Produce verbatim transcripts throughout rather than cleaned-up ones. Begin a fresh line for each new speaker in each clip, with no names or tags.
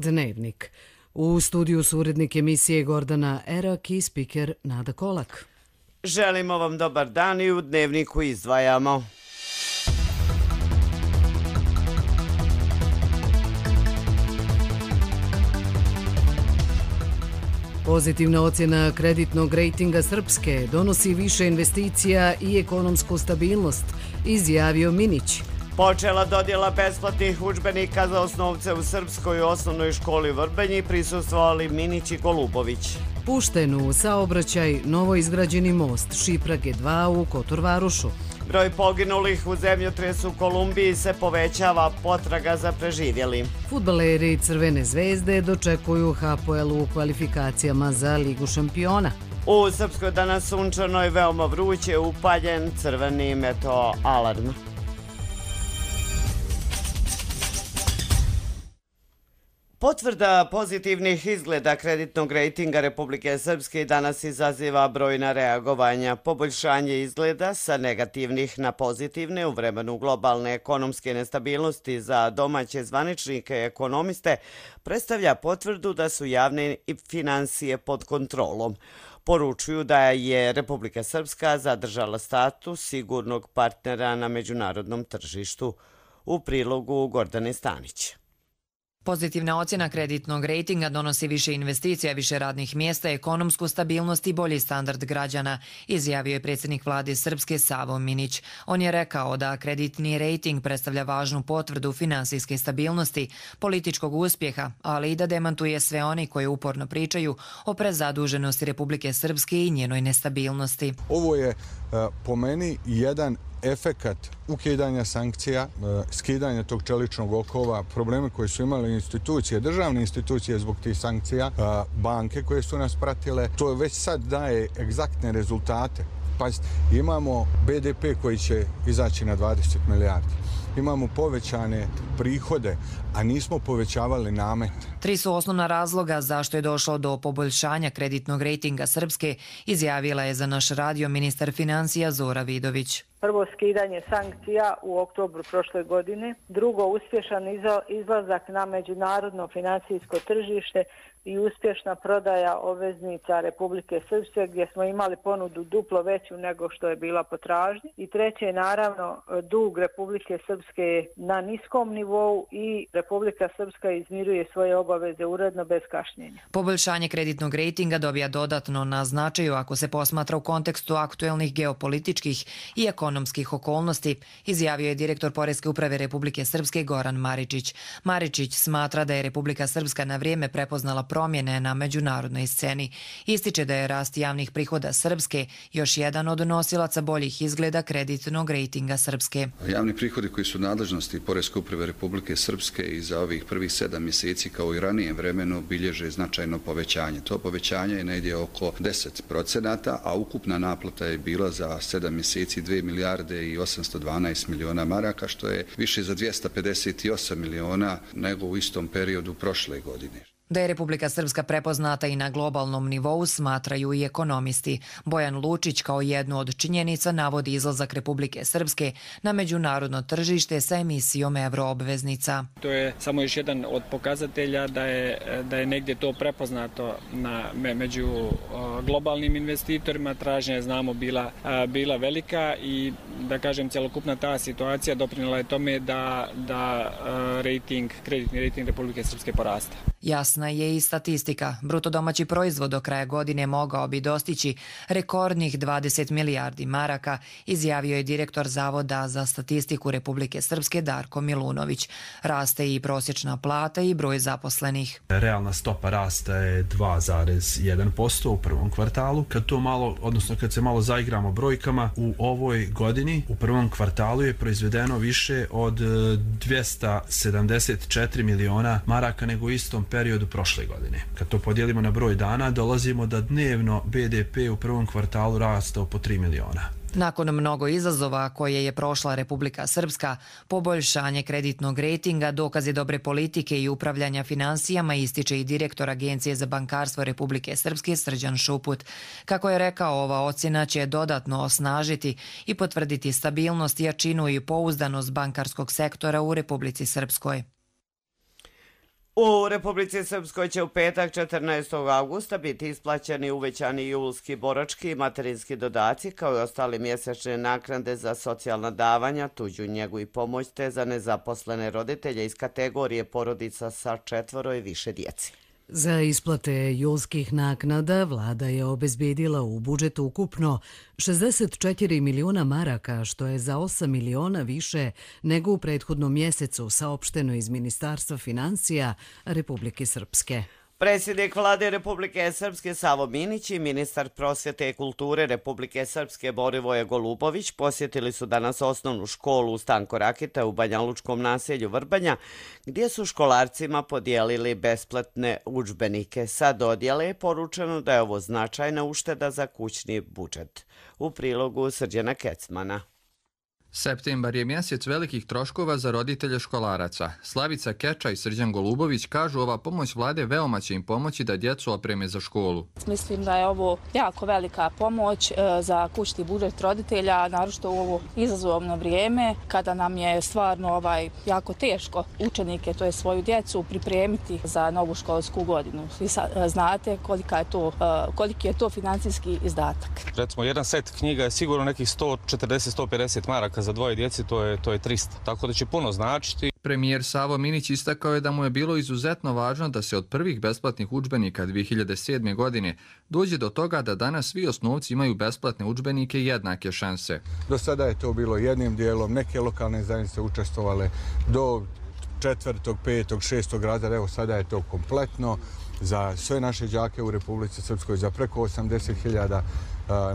Dnevnik. U studiju su urednik emisije Gordana Erak i spiker Nada Kolak.
Želimo vam dobar dan i u Dnevniku izdvajamo.
Pozitivna ocjena kreditnog rejtinga Srpske donosi više investicija i ekonomsku stabilnost, izjavio Minić.
Počela dodjela besplatnih udžbenika za osnovce u Srpskoj osnovnoj školi Vrbenji, prisustvovali Minić i Golubović.
Pušten u saobraćaj novoizgrađeni most Šiprage dva u Kotorvarušu.
Broj poginulih u zemljotresu u Kolumbiji se povećava, potraga za preživjeli.
Fudbaleri Crvene zvezde dočekuju H P L u kvalifikacijama za Ligu šampiona.
U Srpskoj danas sunčano i veoma vruće, upaljen crveni meteo alarm. Potvrda pozitivnih izgleda kreditnog rejtinga Republike Srpske danas izaziva brojna reagovanja. Poboljšanje izgleda sa negativnih na pozitivne u vremenu globalne ekonomske nestabilnosti za domaće zvaničnike i ekonomiste predstavlja potvrdu da su javne finansije pod kontrolom. Poručuju da je Republika Srpska zadržala status sigurnog partnera na međunarodnom tržištu. U prilogu Gordane Stanić.
Pozitivna ocjena kreditnog rejtinga donosi više investicija, više radnih mjesta, ekonomsku stabilnost i bolji standard građana, izjavio je predsjednik vlade Srpske Savo Minić. On je rekao da kreditni rejting predstavlja važnu potvrdu finansijske stabilnosti, političkog uspjeha, ali i da demantuje sve oni koji uporno pričaju o prezaduženosti Republike Srpske i njenoj nestabilnosti.
Ovo je po meni jedan efekat ukidanja sankcija, skidanja tog čeličnog okova, probleme koje su imali institucije, državne institucije zbog tih sankcija, banke koje su nas pratile, to već sad daje egzaktne rezultate. Pazite, imamo B D P koji će izaći na dvadeset milijardi. Imamo povećane prihode, a nismo povećavali namet.
Tri su osnovna razloga zašto je došlo do poboljšanja kreditnog rejtinga Srpske, izjavila je za naš radio ministar financija Zora Vidović.
Prvo, skidanje sankcija u oktobru prošle godine. Drugo, uspješan izlazak na međunarodno financijsko tržište i uspješna prodaja obveznica Republike Srpske gdje smo imali ponudu duplo veću nego što je bila potražnja. I treće, naravno, dug Republike Srpske na niskom nivou i Republika Srpska izmiruje svoje obaveze uredno bez kašnjenja.
Poboljšanje kreditnog rejtinga dobija dodatno na značaju ako se posmatra u kontekstu aktuelnih geopolitičkih i ekonomskih okolnosti, izjavio je direktor Poreske uprave Republike Srpske Goran Maričić. Maričić smatra da je Republika Srpska na vrijeme prepoznala promjene na međunarodnoj sceni. Ističe da je rast javnih prihoda Srpske još jedan od nosilaca boljih izgleda kreditnog rejtinga Srpske.
Javni prihodi koji su nadležnosti Poreske uprave Republike Srpske i za ovih prvih sedam mjeseci kao i ranijem vremenu bilježe značajno povećanje. To povećanje je negdje oko deset procenata, a ukupna naplata je bila za sedam mjeseci dvije milijarde i osamsto dvanaest miliona maraka, što je više za dvjesto pedeset osam miliona nego u istom periodu prošle godine.
Da je Republika Srpska prepoznata i na globalnom nivou smatraju i ekonomisti. Bojan Lučić kao jednu od činjenica navodi izlazak Republike Srpske na međunarodno tržište sa emisijom euroobveznica.
To je samo još jedan od pokazatelja da je, da je negdje to prepoznato na, među globalnim investitorima. Tražnja je, znamo, bila, bila velika i da kažem cjelokupna ta situacija doprinijela je tome da, da rating, kreditni rejting Republike Srpske porasta.
Jasna je i statistika. Bruto domaći proizvod do kraja godine mogao bi dostići rekordnih dvadeset milijardi maraka, izjavio je direktor Zavoda za statistiku Republike Srpske Darko Milunović. Raste i prosječna plata i broj zaposlenih.
Realna stopa rasta je dva zarez jedan posto u prvom kvartalu. Kad to malo, odnosno kad se malo zaigramo brojkama, u ovoj godini u prvom kvartalu je proizvedeno više od dvjesto sedamdeset četiri miliona maraka nego u istom periodu prošle godine. Kad to podijelimo na broj dana, dolazimo da dnevno B D P u prvom kvartalu rastao po tri miliona.
Nakon mnogo izazova koje je prošla Republika Srpska, poboljšanje kreditnog rejtinga dokaz je dobre politike i upravljanja financijama, ističe i direktor Agencije za bankarstvo Republike Srpske Srđan Šuput. Kako je rekao, ova ocjena će dodatno osnažiti i potvrditi stabilnost, jačinu i pouzdanost bankarskog sektora u Republici Srpskoj.
U Republici Srpskoj će u petak četrnaestog avgusta biti isplaćeni uvećani julski borački i materinski dodaci kao i ostali mjesečne naknade za socijalna davanja, tuđu njegu i pomoć te za nezaposlene roditelje iz kategorije porodica sa četvoro i više djeci.
Za isplate julskih naknada vlada je obezbedila u budžetu ukupno šezdeset četiri miliona maraka, što je za osam miliona više nego u prethodnom mjesecu, saopšteno iz Ministarstva financija Republike Srpske.
Predsjednik vlade Republike Srpske Savo Minić i ministar prosvjete i kulture Republike Srpske Borivoje Golubović posjetili su danas osnovnu školu Stanko Rakita u banjalučkom naselju Vrbanja, gdje su školarcima podijelili besplatne udžbenike. Sa dodjele je poručeno da je ovo značajna ušteda za kućni budžet. U prilogu Srđana Kecmana.
Septembar je mjesec velikih troškova za roditelje školaraca. Slavica Keča i Srđan Golubović kažu ova pomoć vlade veoma će im pomoći da djecu opreme za školu.
Mislim da je ovo jako velika pomoć za kućni budžet roditelja, naročito u ovo izazovno vrijeme kada nam je stvarno ovaj jako teško učenike, to je svoju djecu, pripremiti za novu školsku godinu. Vi znate kolika je to, koliki je to financijski izdatak.
Recimo, jedan set knjiga je sigurno nekih sto četrdeset do sto pedeset maraka. Za dvoje djeci to je, to je trista, tako da će puno značiti.
Premijer Savo Minić istakao je da mu je bilo izuzetno važno da se od prvih besplatnih udžbenika dvije hiljade sedme. godine dođe do toga da danas svi osnovci imaju besplatne udžbenike i jednake šanse.
Do sada je to bilo jednim dijelom, neke lokalne zajednice učestvovale do četvrtog, petog, šestog razreda, evo sada je to kompletno za sve naše đake u Republici Srpskoj, za preko osamdeset hiljada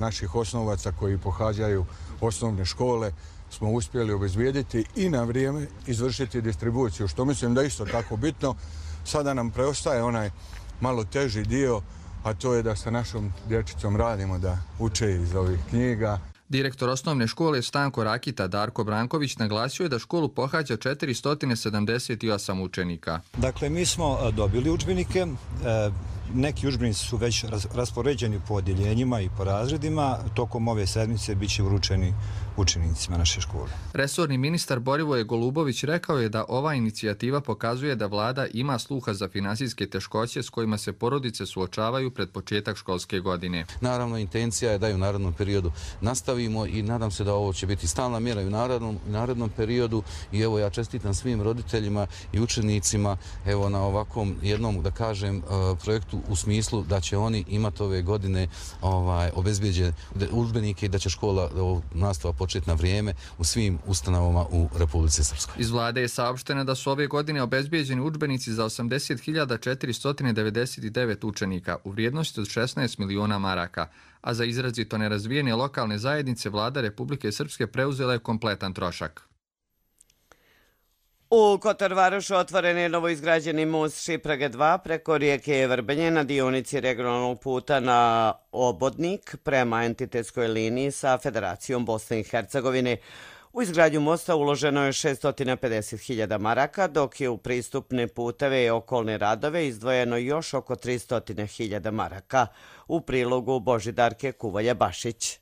naših osnovaca koji pohađaju osnovne škole smo uspjeli obezbijediti i na vrijeme izvršiti distribuciju, što mislim da je isto tako bitno. Sada nam preostaje onaj malo teži dio, a to je da sa našom dječicom radimo, da uče iz ovih knjiga.
Direktor osnovne škole Stanko Rakita Darko Branković naglasio je da školu pohađa četiristo sedamdeset osam učenika.
Dakle, mi smo dobili udžbenike, neki udžbenici su već raspoređeni po odjeljenjima i po razredima, tokom ove sedmice bit će uručeni učenicima naše škole.
Resorni ministar Borivoje Golubović rekao je da ova inicijativa pokazuje da vlada ima sluha za finansijske teškoće s kojima se porodice suočavaju pred početak školske godine.
Naravno, intencija je da i u narednom periodu nastavimo i nadam se da ovo će biti stalna mjera i u narednom, narednom periodu i evo ja čestitam svim roditeljima i učenicima evo na ovakvom jednom, da kažem, projektu u smislu da će oni imati ove godine ovaj, obezbijeđene udžbenike i da će škola nastava početi na vrijeme u svim ustanovama u Republici Srpskoj.
Iz vlade je saopšteno da su ove godine obezbijeđeni udžbenici za osamdeset hiljada četiristo devedeset devet učenika u vrijednosti od šesnaest miliona maraka, a za izrazito nerazvijene lokalne zajednice vlada Republike Srpske preuzela je kompletan trošak.
U Kotorvarošu otvoren je novoizgrađeni most Šiprage dva preko rijeke Vrbenje na dionici regionalnog puta na Obodnik prema entitetskoj liniji sa Federacijom Bosne i Hercegovine. U izgradnju mosta uloženo je šesto pedeset hiljada maraka, dok je u pristupne puteve i okolne radove izdvojeno još oko tristo hiljada maraka. U prilogu Božidarke Kuvalja-Bašić.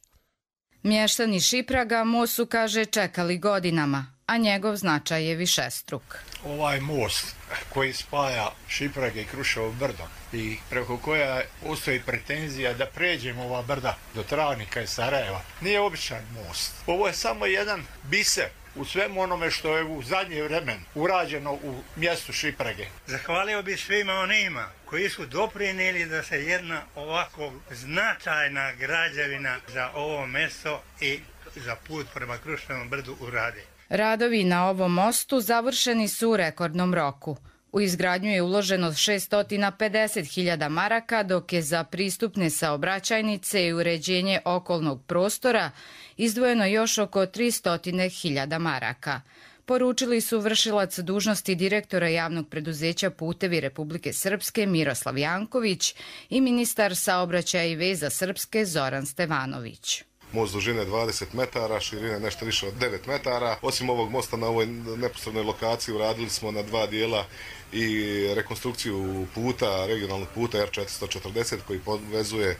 Mještani Šipraga most su, kaže, čekali godinama, a njegov značaj je višestruk.
Ovaj most koji spaja Šiprage i Kruševo brdo i preko koja postoji pretenzija da pređemo ova brda do Travnika i Sarajeva, nije običan most. Ovo je samo jedan biser u svemu onome što je u zadnje vremen urađeno u mjestu Šiprage.
Zahvalio bih svima onima koji su doprinijeli da se jedna ovako značajna građevina za ovo mjesto i za put prema Kruševom brdu uradi.
Radovi na ovom mostu završeni su u rekordnom roku. U izgradnju je uloženo šesto pedeset hiljada maraka, dok je za pristupne saobraćajnice i uređenje okolnog prostora izdvojeno još oko tristo hiljada maraka. Poručili su vršilac dužnosti direktora javnog preduzeća Putevi Republike Srpske Miroslav Janković i ministar saobraćaja i veza Srpske Zoran Stevanović.
Most dužine dvadeset metara, širine nešto više od devet metara. Osim ovog mosta na ovoj neposrednoj lokaciji uradili smo na dva dijela i rekonstrukciju puta, regionalnog puta R četiristo četrdeset koji povezuje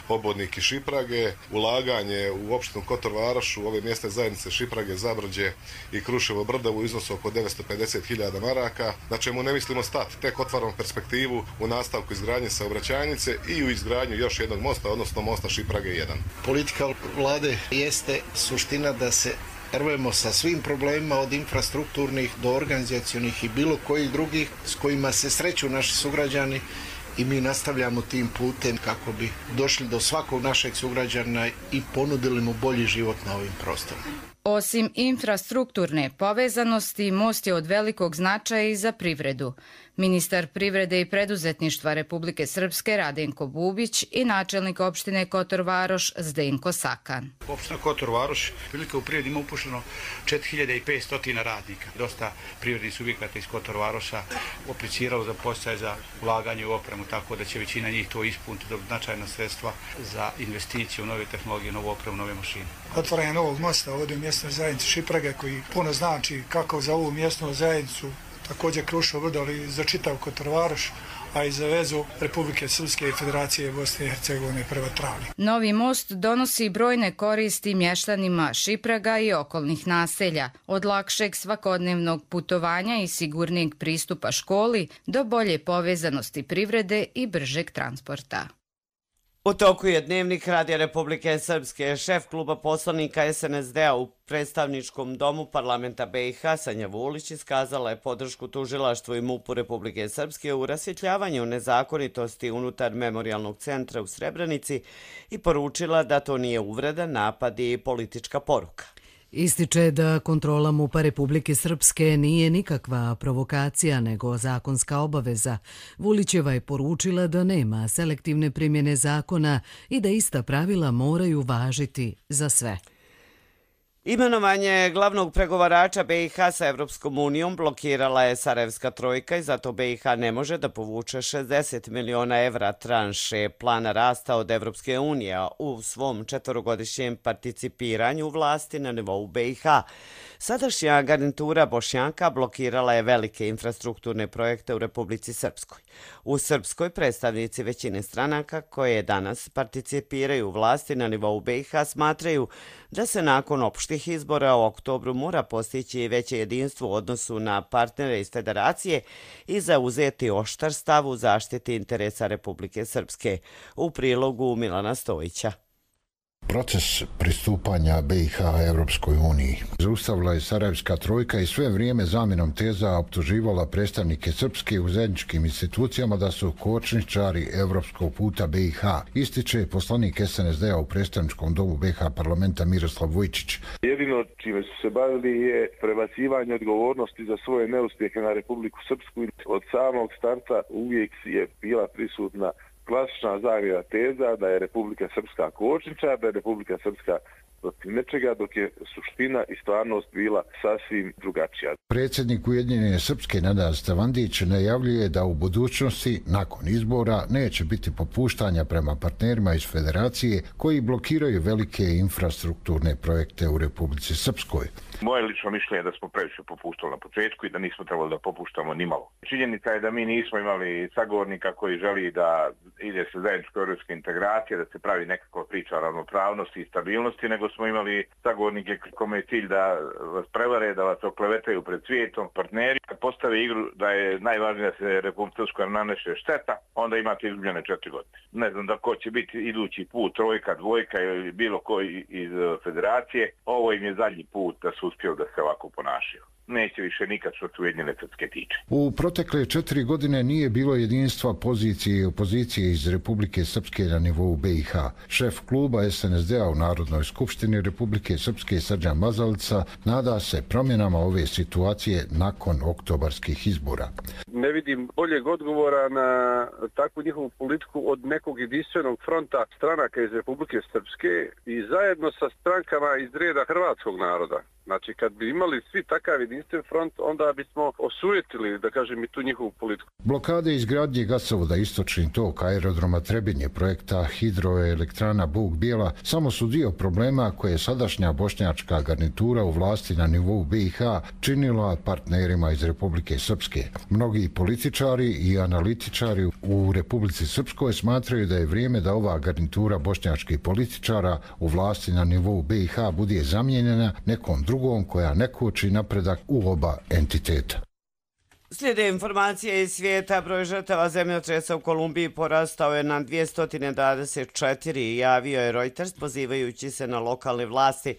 Obodnik i Šiprage, ulaganje u opštinu Kotor Varoš, u ove mjesne zajednice Šiprage, Zabrđe i Kruševo Brdo u iznosu oko devetsto pedeset hiljada maraka, na čemu ne mislimo stati, tek otvaramo perspektivu u nastavku izgradnje saobraćajnice i u izgradnju još jednog mosta, odnosno mosta Šiprage jedan.
Politika vlade jeste suština da se rvemo sa svim problemima od infrastrukturnih do organizacionih i bilo kojih drugih s kojima se sreću naši sugrađani i mi nastavljamo tim putem kako bi došli do svakog našeg sugrađana i ponudili mu bolji život na ovim prostorima.
Osim infrastrukturne povezanosti, most je od velikog značaja i za privredu. Ministar privrede i preduzetništva Republike Srpske Radenko Bubić i načelnik opštine Kotor Varoš Zdenko Sakan.
Opština Kotor Varoš, prilike u privredi ima upušeno četiri hiljade petsto radnika. Dosta privrednih subjekata iz Kotor Varoša apliciralo za podsticaj za ulaganje u opremu, tako da će većina njih to ispuniti do značajna sredstva za investiciju u nove tehnologije, novu opremu, nove mašine.
Otvaranje novog mosta ovdje u mjesnoj zajednici Šiprage koji puno znači kako za ovu mjesnu zajednicu, također Kruševo Brdo, ali za čitav Kotor Varoš, a i za vezu Republike Srpske i Federacije Bosne i Hercegovine prema Travni.
Novi most donosi brojne koristi mještanima Šipraga i okolnih naselja, od lakšeg svakodnevnog putovanja i sigurnijeg pristupa školi do bolje povezanosti privrede i bržeg transporta.
U toku je Dnevnik Radija Republike Srpske. Šef kluba poslanika S N S D-a u predstavničkom domu parlamenta B i H Sanja Vulić iskazala je podršku tužilaštvu i MUP-u Republike Srpske u rasvjetljavanju nezakonitosti unutar memorialnog centra u Srebrenici i poručila da to nije uvreda, napad i politička poruka.
Ističe da kontrola MUP-a Republike Srpske nije nikakva provokacija nego zakonska obaveza. Vulićeva je poručila da nema selektivne primjene zakona i da ista pravila moraju važiti za sve.
Imenovanje glavnog pregovarača B i H sa Evropskom unijom blokirala je Sarajevska trojka i zato B i H ne može da povuče šezdeset miliona evra tranše plana rasta od Evropske unije u svom četvorogodišnjem participiranju vlasti na nivou B i H. Sadašnja garnitura Bošnjaka blokirala je velike infrastrukturne projekte u Republici Srpskoj. U Srpskoj predstavnici većine stranaka koje danas participiraju u vlasti na nivou B i H smatraju da se nakon opštih izbora u oktobru mora postići veće jedinstvo u odnosu na partnere iz federacije i zauzeti oštar stav u zaštiti interesa Republike Srpske. U prilogu Milana Stojića.
Proces pristupanja B i H Evropskoj uniji zaustavila je Sarajevska trojka i sve vrijeme zamjenom teza optuživala predstavnike Srpske u zajedničkim institucijama da su kočničari evropskog puta B i H, ističe poslanik S N S D-a u predstavničkom domu B i H parlamenta Miroslav Vujčić.
Jedino čime su se bavili je prebacivanje odgovornosti za svoje neuspjehe na Republiku Srpsku. Od samog starta uvijek je bila prisutna klasična zamjena teza da je Republika Srpska kočničar, da je Republika Srpska protiv nečega, dok je suština i stvarnost bila sasvim drugačija.
Predsjednik Ujedinjene Srpske Nenad Stavandić najavljuje da u budućnosti, nakon izbora, neće biti popuštanja prema partnerima iz federacije koji blokiraju velike infrastrukturne projekte u Republici Srpskoj.
Moje lično mišljenje je da smo previše popuštali na početku i da nismo trebali da popuštamo nimalo. Činjenica je da mi nismo imali sagovornika koji želi da ide se zajedničko europske integracije, da se pravi nekakva priča o ravnopravnosti i stabilnosti, nego smo imali sagovornike kome je cilj da vas prevare, da vas oklevetaju pred svijetom, partneri. Kad postave igru da je najvažnije da se Republika Srpska naneše šteta, onda imate izgubljene četiri godine. Ne znam da ko će biti idući put, trojka, dvojka ili bilo koji iz federacije. Ovo im je zadnji put da su uspjeli da se ovako ponašaju. Neće više nikad što se Ujedinjene Srpske tiče.
U protekle četiri godine nije bilo jedinstva pozicije i opozicije iz Republike Srpske na nivou B i H. Šef kluba S N S D-a u Narodnoj skupštini Republike Srpske Srđan Mazalica nada se promjenama ove situacije nakon oktobarskih izbora.
Ne vidim boljeg odgovora na takvu njihovu politiku od nekog jedinstvenog fronta stranaka iz Republike Srpske i zajedno sa strankama iz reda hrvatskog naroda. Znači, kad bi imali svi takav jedinstven front, onda bismo osujetili, da kažem, i tu njihovu politiku.
Blokade izgradnje gasovoda Istočni tok, aerodroma Trebinje, projekta hidroelektrana Bug Bijela samo su dio problema koje je sadašnja bošnjačka garnitura u vlasti na nivou B i H činila partnerima iz Republike Srpske. Mnogi političari i analitičari u Republici Srpskoj smatraju da je vrijeme da ova garnitura bošnjačkih političara u vlasti na nivou B i H bude zamijenjena nekom drugom koja ne koči napredak u oba entiteta.
Slijede informacije iz svijeta. Broj žrtava zemljotresa u Kolumbiji porastao je na dvjesto dvadeset četiri, javio je Reuters pozivajući se na lokalne vlasti.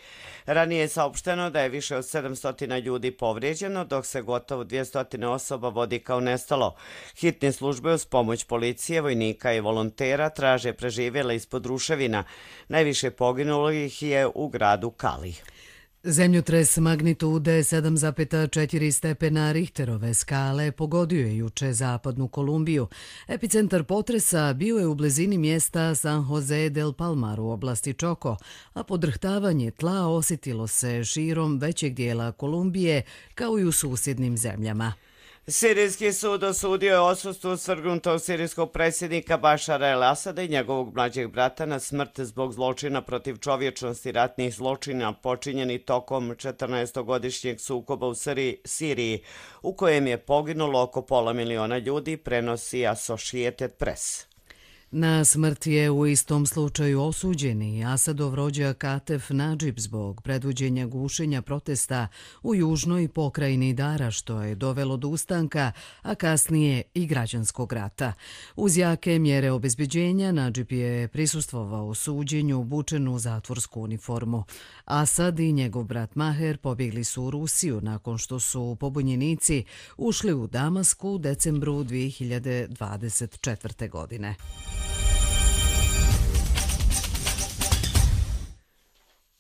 Ranije je saopšteno da je više od sedamsto ljudi povrijeđeno, dok se gotovo dvjesto osoba vodi kao nestalo. Hitne službe uz pomoć policije, vojnika i volontera traže preživjele ispod ruševina. Najviše poginulih je u gradu Kali.
Zemljotres magnitude sedam zarez četiri stepena Richterove skale pogodio je juče zapadnu Kolumbiju. Epicentar potresa bio je u blizini mjesta San Jose del Palmar u oblasti Čoko, a podrhtavanje tla osjetilo se širom većeg dijela Kolumbije kao i u susjednim zemljama.
Sirijski sud osudio je odsustvu svrgnutog sirijskog predsjednika Bašara el-Asada i njegovog mlađeg brata na smrt zbog zločina protiv čovječnosti ratnih zločina počinjeni tokom četrnaestogodišnjeg sukoba u Siriji, u kojem je poginulo oko pola miliona ljudi, prenosi Associated Press.
Na smrt je u istom slučaju osuđeni Asadov rođak Atef Nadžib zbog predvođenja gušenja protesta u južnoj pokrajini Dara, što je dovelo do ustanka, a kasnije i građanskog rata. Uz jake mjere obezbeđenja, Nadžib je prisustvovao suđenju obučen u zatvorsku uniformu. Asad i njegov brat Maher pobjegli su u Rusiju nakon što su pobunjenici ušli u Damasku u decembru dvije hiljade dvadeset četvrte. godine.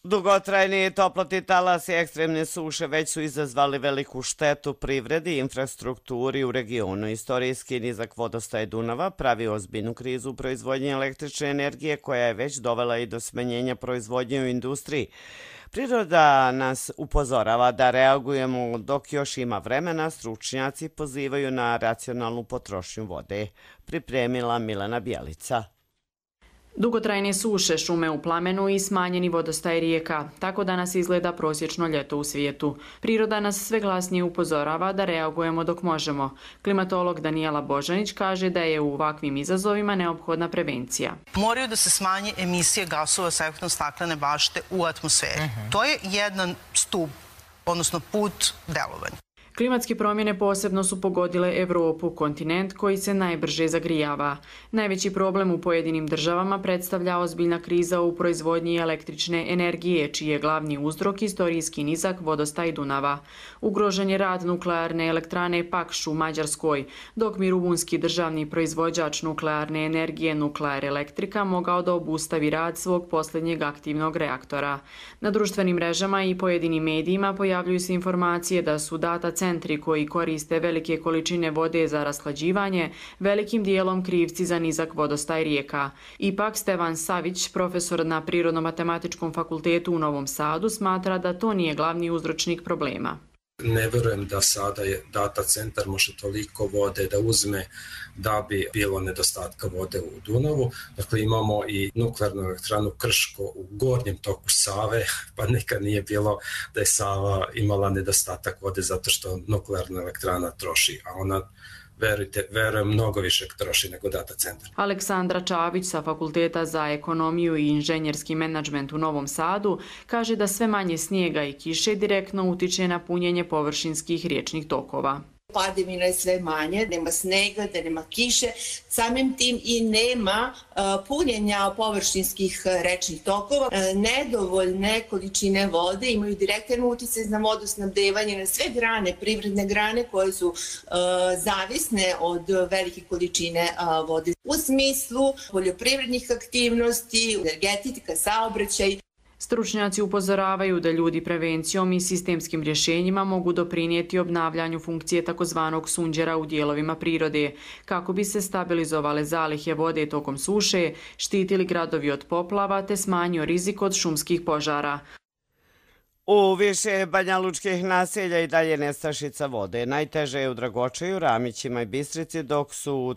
Dugotrajni toplotni talas i ekstremne suše već su izazvali veliku štetu privredi i infrastrukturi u regionu. Istorijski nizak vodostaj Dunava pravi ozbiljnu krizu u proizvodnji električne energije koja je već dovela i do smanjenja proizvodnje u industriji. Priroda nas upozorava da reagujemo dok još ima vremena, stručnjaci pozivaju na racionalnu potrošnju vode. Pripremila Milena Bjelica.
Dugotrajne suše, šume u plamenu i smanjeni vodostaj rijeka. Tako danas izgleda prosječno ljeto u svijetu. Priroda nas sve glasnije upozorava da reagujemo dok možemo. Klimatolog Danijela Božanić kaže da je u ovakvim izazovima neophodna prevencija.
Moraju da se smanje emisije gasova sa efektom staklene bašte u atmosferi. Uh-huh. To je jedan stup, odnosno put delovanja.
Klimatske promjene posebno su pogodile Evropu, kontinent koji se najbrže zagrijava. Najveći problem u pojedinim državama predstavlja ozbiljna kriza u proizvodnji električne energije, čiji je glavni uzrok istorijski nizak vodostaj Dunava. Ugrožen je rad nuklearne elektrane Pakš u Mađarskoj, dok bi rumunski državni proizvođač nuklearne energije Nuklear Elektrika mogao da obustavi rad svog posljednjeg aktivnog reaktora. Na društvenim mrežama i pojedinim medijima pojavljuju se informacije da su data centri koji koriste velike količine vode za rashlađivanje velikim dijelom krivci za nizak vodostaj rijeka. Ipak Stevan Savić, profesor na Prirodno-matematičkom fakultetu u Novom Sadu, smatra da to nije glavni uzročnik problema.
Ne verujem da sada je data centar može toliko vode da uzme da bi bilo nedostatka vode u Dunavu. Dakle, imamo i nuklearnu elektranu Krško u gornjem toku Save, pa nekad nije bilo da je Sava imala nedostatak vode zato što nuklearna elektrana troši, a ona verujte, verujem, mnogo više troši nego data centar.
Aleksandra Čavić sa Fakulteta za ekonomiju i inženjerski menadžment u Novom Sadu kaže da sve manje snijega i kiše direktno utiče na punjenje površinskih riječnih tokova.
Padavina je sve manje, nema snega, da nema kiše, samim tim i nema uh, punjenja površinskih rečnih tokova. Uh, nedovoljne količine vode imaju direktan utjecaj na vodosnabdevanje na sve grane, privredne grane koje su uh, zavisne od velike količine uh, vode. U smislu poljoprivrednih aktivnosti, energetika, saobraćaj.
Stručnjaci upozoravaju da ljudi prevencijom i sistemskim rješenjima mogu doprinijeti obnavljanju funkcije takozvanog sunđera u dijelovima prirode, kako bi se stabilizovale zalihe vode tokom suše, štitili gradovi od poplava te smanjio rizik od šumskih požara.
U više banjalučkih naselja i dalje nestašica vode. Najteže je u Dragočeju, Ramićima i Bistrici, dok su u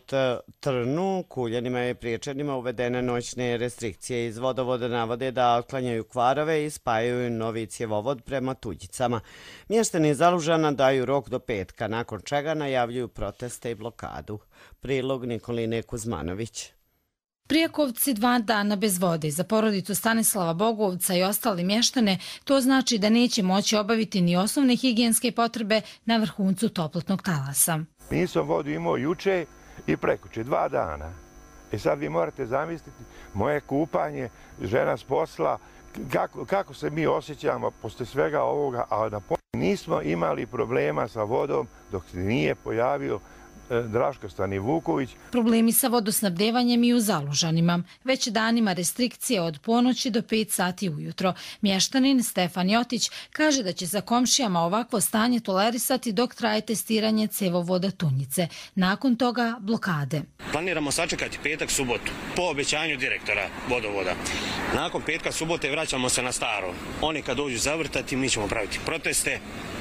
Trnu, Kuljanima i Priječanima uvedene noćne restrikcije. Iz vodovoda navode da otklanjaju kvarove i spajaju novi cjevovod prema Tuđicama. Mještani Zalužana daju rok do petka, nakon čega najavljuju proteste i blokadu. Prilog Nikoline Kuzmanović.
Prijekovci dva dana bez vode. Za porodicu Stanislava Bogovca i ostali mještane to znači da neće moći obaviti ni osnovne higijenske potrebe na vrhuncu toplotnog talasa.
Nisam vodu imao juče i prekuće, dva dana. I sad vi morate zamisliti moje kupanje, žena s posla, kako, kako se mi osjećamo posle svega ovoga, a na nismo imali problema sa vodom dok se nije pojavio Draško Stani Vuković.
Problemi sa vodosnabdevanjem i u Zalužanima. Već danima restrikcije od ponoći do pet sati ujutro. Mještanin Stefan Jotić kaže da će za komšijama ovakvo stanje tolerisati dok traje testiranje cevovoda Tunjice. Nakon toga blokade.
Planiramo sačekati petak, subotu, po obećanju direktora vodovoda. Nakon petka, subote vraćamo se na staro. Oni kad dođu zavrtati, mi ćemo praviti proteste,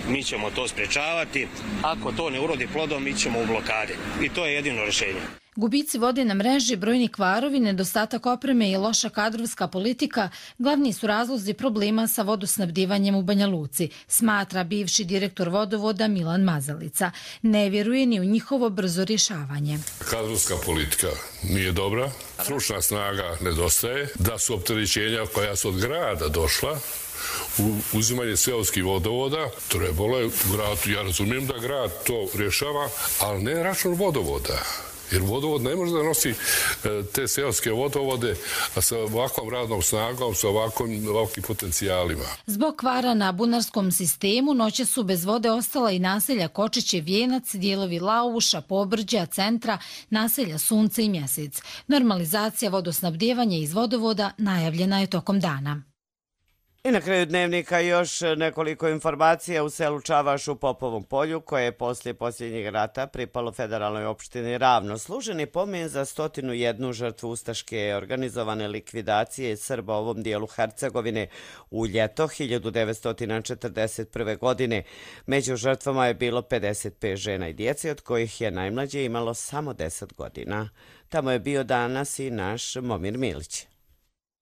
mi ćemo to sprečavati. Ako to ne urodi plodom, mi ćemo u blokade. I to je jedino rješenje.
Gubici vode na mreži, brojni kvarovi, nedostatak opreme i loša kadrovska politika glavni su razlozi problema sa vodosnabdivanjem u Banja Luci, smatra bivši direktor vodovoda Milan Mazalica. Ne vjeruje ni u njihovo brzo rješavanje.
Kadrovska politika nije dobra, stručna snaga nedostaje, da su opterećenja koja su od grada došla, u uzimanje seoskih vodovoda, trebalo je u gradu, ja razumijem da grad to rješava, ali ne račun vodovoda. Jer vodovod ne može da nosi te seoske vodovode sa ovakvom radnom snagom, sa ovakvim, ovakvim potencijalima.
Zbog kvara na bunarskom sistemu noće su bez vode ostala i naselja Kočiće, Vijenac, dijelovi Lauša, Pobrđa, Centra, naselja Sunce i Mjesec. Normalizacija vodosnabdjevanja iz vodovoda najavljena je tokom dana.
I na kraju dnevnika još nekoliko informacija u selu Čavaš u Popovom polju, koje je poslije posljednjeg rata pripalo federalnoj opštini Ravno. Služeni pomen za stotinu jednu žrtvu ustaške organizovane likvidacije Srba u ovom dijelu Hercegovine u ljeto hiljadu devetsto četrdeset prve. godine. Među žrtvama je bilo pedeset pet žena i djece, od kojih je najmlađe imalo samo deset godina. Tamo je bio danas i naš Momir Milić.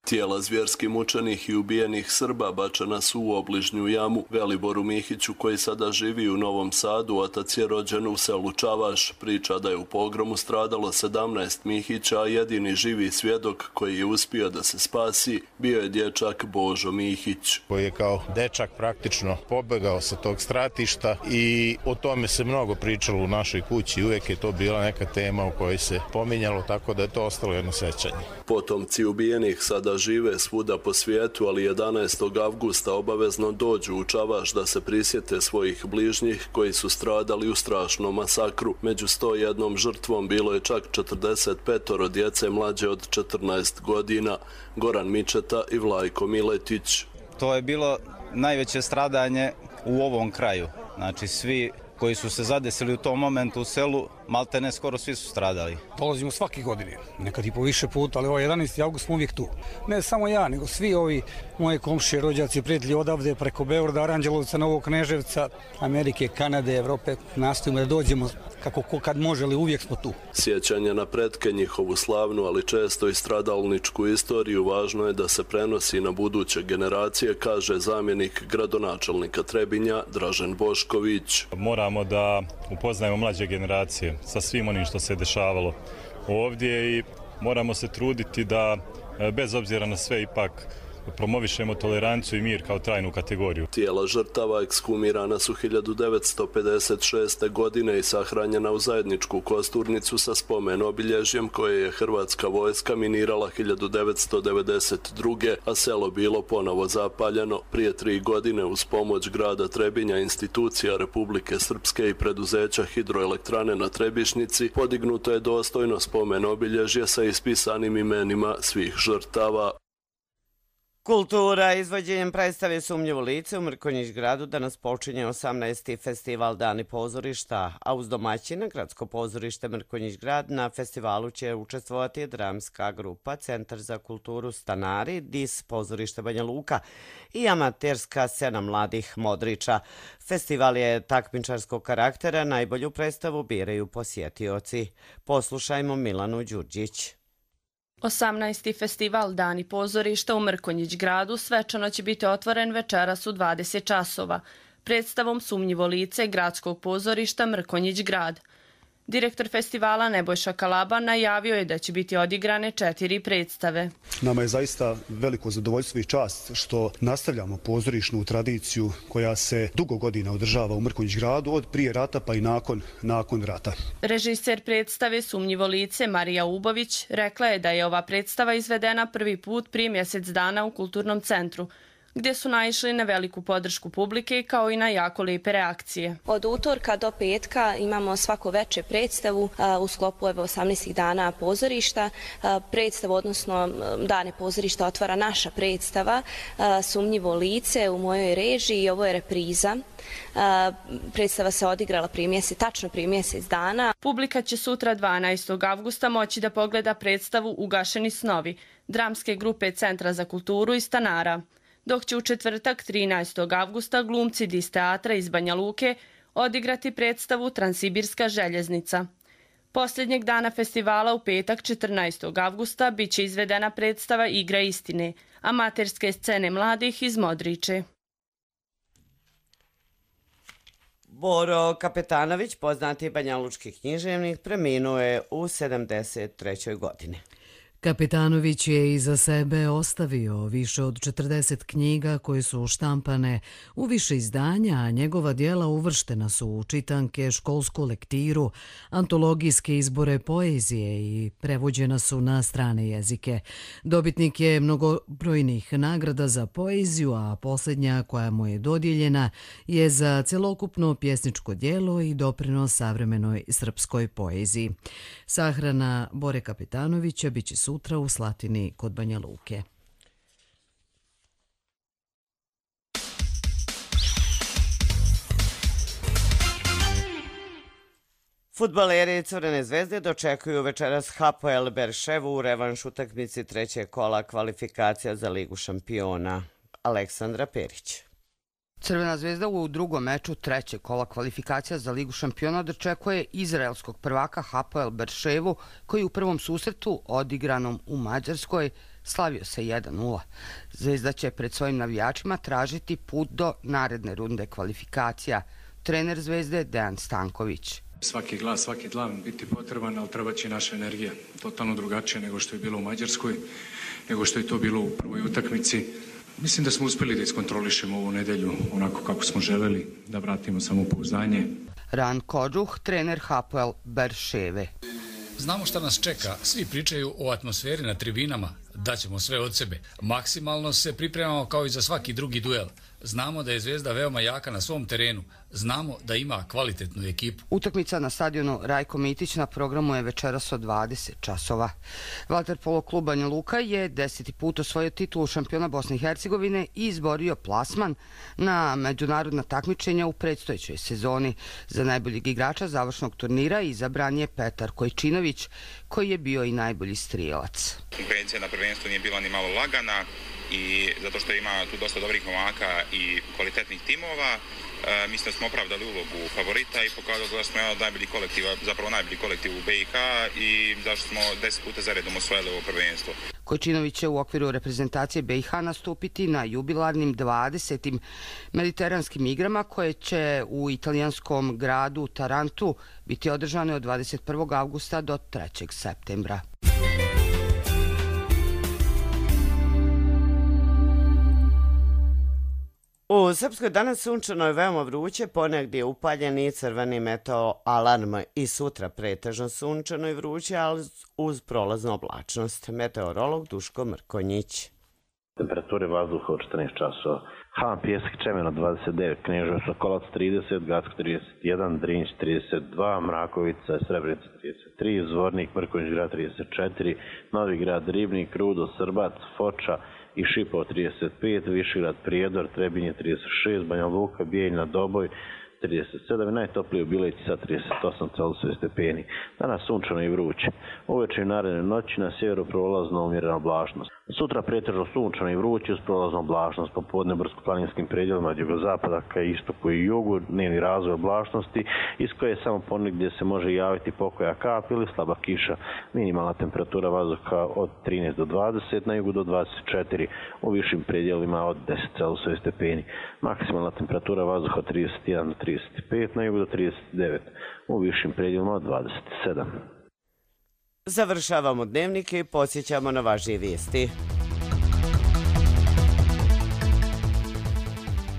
Tijela zvjerski mučenih i ubijenih Srba bačena su u obližnju jamu. Veliboru Mihiću, koji sada živi u Novom Sadu, otac je rođen u selu Čavaš. Priča da je u pogromu stradalo sedamnaest Mihića, a jedini živi svjedok koji je uspio da se spasi bio je dječak Božo Mihić.
Koji je kao dečak praktično pobegao sa tog stratišta i o tome se mnogo pričalo u našoj kući. Uvijek je to bila neka tema o kojoj se pominjalo, tako da je to ostalo jedno sećanje.
Potomci ubijenih sada žive svuda po svijetu, ali jedanaestog avgusta obavezno dođu u Čavaš da se prisjete svojih bližnjih koji su stradali u strašnom masakru. Među sto jednom žrtvom bilo je čak četrdeset petoro djece mlađe od četrnaest godina. Goran Mičeta i Vlajko Miletić.
To je bilo najveće stradanje u ovom kraju. Znači svi koji su se zadesili u tom momentu u selu, malte ne skoro svi su stradali.
Dolazimo svake godine, nekad i po više puta, ali ovaj jedanaesti avgust smo uvijek tu. Ne samo ja, nego svi ovi moje komšije, rođaci, prijatelji odavde, preko Beograda, Aranđelovca, Novog Kneževca, Amerike, Kanade, Evrope, nastojimo da dođemo kako kad može, ali uvijek smo tu.
Sjećanje na pretke, njihovu slavnu, ali često i stradalničku istoriju, važno je da se prenosi na buduće generacije, kaže zamjenik gradonačelnika Trebinja Dražen Bošković.
Moramo da upoznajemo mlađe generacije sa svim onim što se dešavalo ovdje i moramo se truditi da bez obzira na sve ipak promovišemo toleranciju i mir kao trajnu kategoriju.
Tijela žrtava ekshumirana su hiljadu devetsto pedeset šeste. godine i sahranjena u zajedničku kosturnicu sa spomen obilježjem koje je hrvatska vojska minirala hiljadu devetsto devedeset druge. a selo bilo ponovo zapaljeno. Prije tri godine uz pomoć grada Trebinja, institucija Republike Srpske i preduzeća hidroelektrane na Trebišnici podignuto je dostojno spomen obilježje sa ispisanim imenima svih žrtava.
Kultura izvođenjem predstave Sumnjivo lice u Mrkonjić gradu danas počinje osamnaesti festival Dani pozorišta, a uz domaćina Gradsko pozorište Mrkonjić grad na festivalu će učestvovati dramska grupa Centar za kulturu Stanari, D I S pozorište Banja Luka i amaterska scena mladih Modriča. Festival je takmičarskog karaktera, najbolju predstavu biraju posjetioci. Poslušajmo Milanu Đurđić.
osamnaesti festival Dani pozorišta u Mrkonjić gradu svečano će biti otvoren večeras u dvadeset časova predstavom Sumnjivo lice Gradskog pozorišta Mrkonjić grad. Direktor festivala Nebojša Kalaba najavio je da će biti odigrane četiri predstave.
Nama je zaista veliko zadovoljstvo i čast što nastavljamo pozorišnu tradiciju koja se dugo godina održava u Mrkonjić gradu, od prije rata pa i nakon, nakon rata.
Režiser predstave Sumnjivo lice Marija Ubović rekla je da je ova predstava izvedena prvi put prije mjesec dana u Kulturnom centru, gdje su naišli na veliku podršku publike kao i na jako lijepe reakcije.
Od utorka do petka imamo svako veče predstavu u sklopu osamnaestih dana pozorišta. Predstavu, odnosno dane pozorišta, otvara naša predstava Sumnjivo lice u mojoj režiji i ovo je repriza. Predstava se odigrala prije mjesec, tačno prije mjesec dana.
Publika će sutra dvanaestog avgusta moći da pogleda predstavu Ugašeni snovi dramske grupe Centra za kulturu i Stanara, dok će u četvrtak trinaestog avgusta glumci D I S teatra iz Banja Luke odigrati predstavu Transsibirska željeznica. Posljednjeg dana festivala u petak četrnaestog avgusta bit će izvedena predstava Igra istine, amaterske scene mladih iz Modriče.
Boro Kapetanović, poznati banjalučki književnik, preminuo je u sedamdeset trećoj godini.
Kapetanović je iza sebe ostavio više od četrdeset knjiga koje su štampane u više izdanja, a njegova dijela uvrštena su u čitanke, školsku lektiru, antologijske izbore poezije i prevođena su na strane jezike. Dobitnik je mnogobrojnih nagrada za poeziju, a posljednja koja mu je dodijeljena je za celokupno pjesničko dijelo i doprinos savremenoj srpskoj poeziji. Sahrana Bore Kapetanovića biće sutra u Slatini kod Banja Luke.
Fudbaleri Crvene zvezde dočekuju večeras Hapoel Berševu u revanš utakmici trećeg kola kvalifikacija za Ligu šampiona. Aleksandra Perić.
Crvena zvezda u drugom meču trećeg kola kvalifikacija za Ligu šampiona dočekuje izraelskog prvaka Hapoel Berševu, koji u prvom susretu odigranom u Mađarskoj slavio se jedan nula. Zvezda će pred svojim navijačima tražiti put do naredne runde kvalifikacija. Trener Zvezde Dejan Stanković.
Svaki glas, svaki dlan biti potreban, ali treba će naša energija. Totalno drugačije nego što je bilo u Mađarskoj, nego što je to bilo u prvoj utakmici. Mislim da smo uspjeli da iskontrolišemo ovu nedelju onako kako smo želeli, da vratimo samopouzdanje.
Ran Kodžuh, trener Hapoel Berševe.
Znamo šta nas čeka, svi pričaju o atmosferi na tribinama, daćemo sve od sebe. Maksimalno se pripremamo kao i za svaki drugi duel. Znamo da je Zvezda veoma jaka na svom terenu, znamo da ima kvalitetnu ekipu.
Utakmica na stadionu Rajko Mitić na programu je večeras od dvadeset časova. Vaterpolo klub Banja Luka je deseti put osvojio titulu šampiona Bosne i Hercegovine i izborio plasman na međunarodna takmičenja u predstojećoj sezoni. Za najboljeg igrača završnog turnira izabran je Petar Kojčinović, koji je bio i najbolji strijelac.
Konkurencija na prvenstvu nije bila ni malo lagana i zato što ima tu dosta dobrih momaka i kvalitetnih timova, e, mislim da smo opravdali ulogu favorita i pokazali da smo jedan od najboljih kolektiva, zapravo najbolji kolektiv u B i H i zašto smo deset puta zaredom osvojili ovo prvenstvo.
Kojčinović će u okviru reprezentacije B i H nastupiti na jubilarnim dvadesetim mediteranskim igrama koje će u italijanskom gradu Tarantu biti održane od dvadeset prvog avgusta do trećeg septembra.
U Srpskoj danas sunčano je veoma vruće, ponegdje upaljen i crveni meteo alarm i sutra pretežno sunčano i vruće, ali uz prolaznu oblačnost. Meteorolog Duško Mrkonjić.
Temperature vazduha od četrnaest časova. Han Pjesak Čemeno dvadeset devet, Kneževac Sokolac trideset, Gacko trideset jedan, Drinć trideset dva, Mrakovica Srebrenica trideset tri, Zvornik Mrkonjić Grad trideset četiri, Novi Grad Ribnik, Rudo, Srbac, Foča i Šipovo trideset pet, Višegrad Prijedor, Trebinje trideset šest, Banja Luka, Bijeljina, Doboj trideset sedam i najtoplije u Bileći sa trideset osam Celzijusovih stepeni. Danas sunčano i vruće. Uveče i naredne noći na sjeveru prolazna umjerena oblačnost. Sutra pretežno sunčano i vruće uz prolaznu oblačnost. Popodne brdsko-planinskim predjelima od jugozapada ka istoku i jugu, dnevni razvoj oblačnosti iz koje samo ponegdje se može javiti pokoja kap ili slaba kiša. Minimalna temperatura vazduha od trinaest do dvadeset, na jugu do dvadeset četiri, u višim predjelima od deset Celzijusovih stepeni. Maksimalna temperatura vazduha od trideset jedan do trideset pet, na jugu do trideset devet, u višim predjelima od dvadeset sedam.
Završavamo dnevnike i posjećamo na važnije vijesti.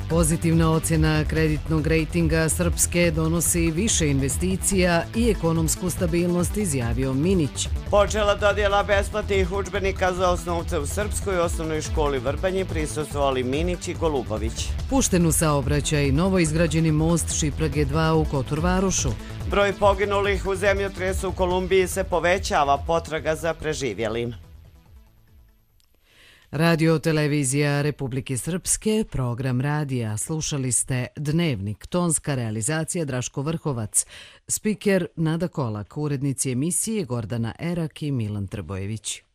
Pozitivna ocjena kreditnog rejtinga Srpske donosi više investicija i ekonomsku stabilnost, izjavio Minić.
Počela dodjela besplatnih udžbenika za osnovce u Srpskoj osnovnoj školi Vrbanji, prisustvovali Minić i Golubović.
Pušten u saobraćaj novo izgrađeni most Šiprage dva u Kotorvarošu.
Broj poginulih u zemljotresu u Kolumbiji se povećava, potraga za preživjelim.
Radio televizija Republike Srpske, program radija. Slušali ste Dnevnik, tonska realizacija Draško Vrhovac, spiker Nada Kolak, urednici emisije Gordana Erak i Milan Trbojević.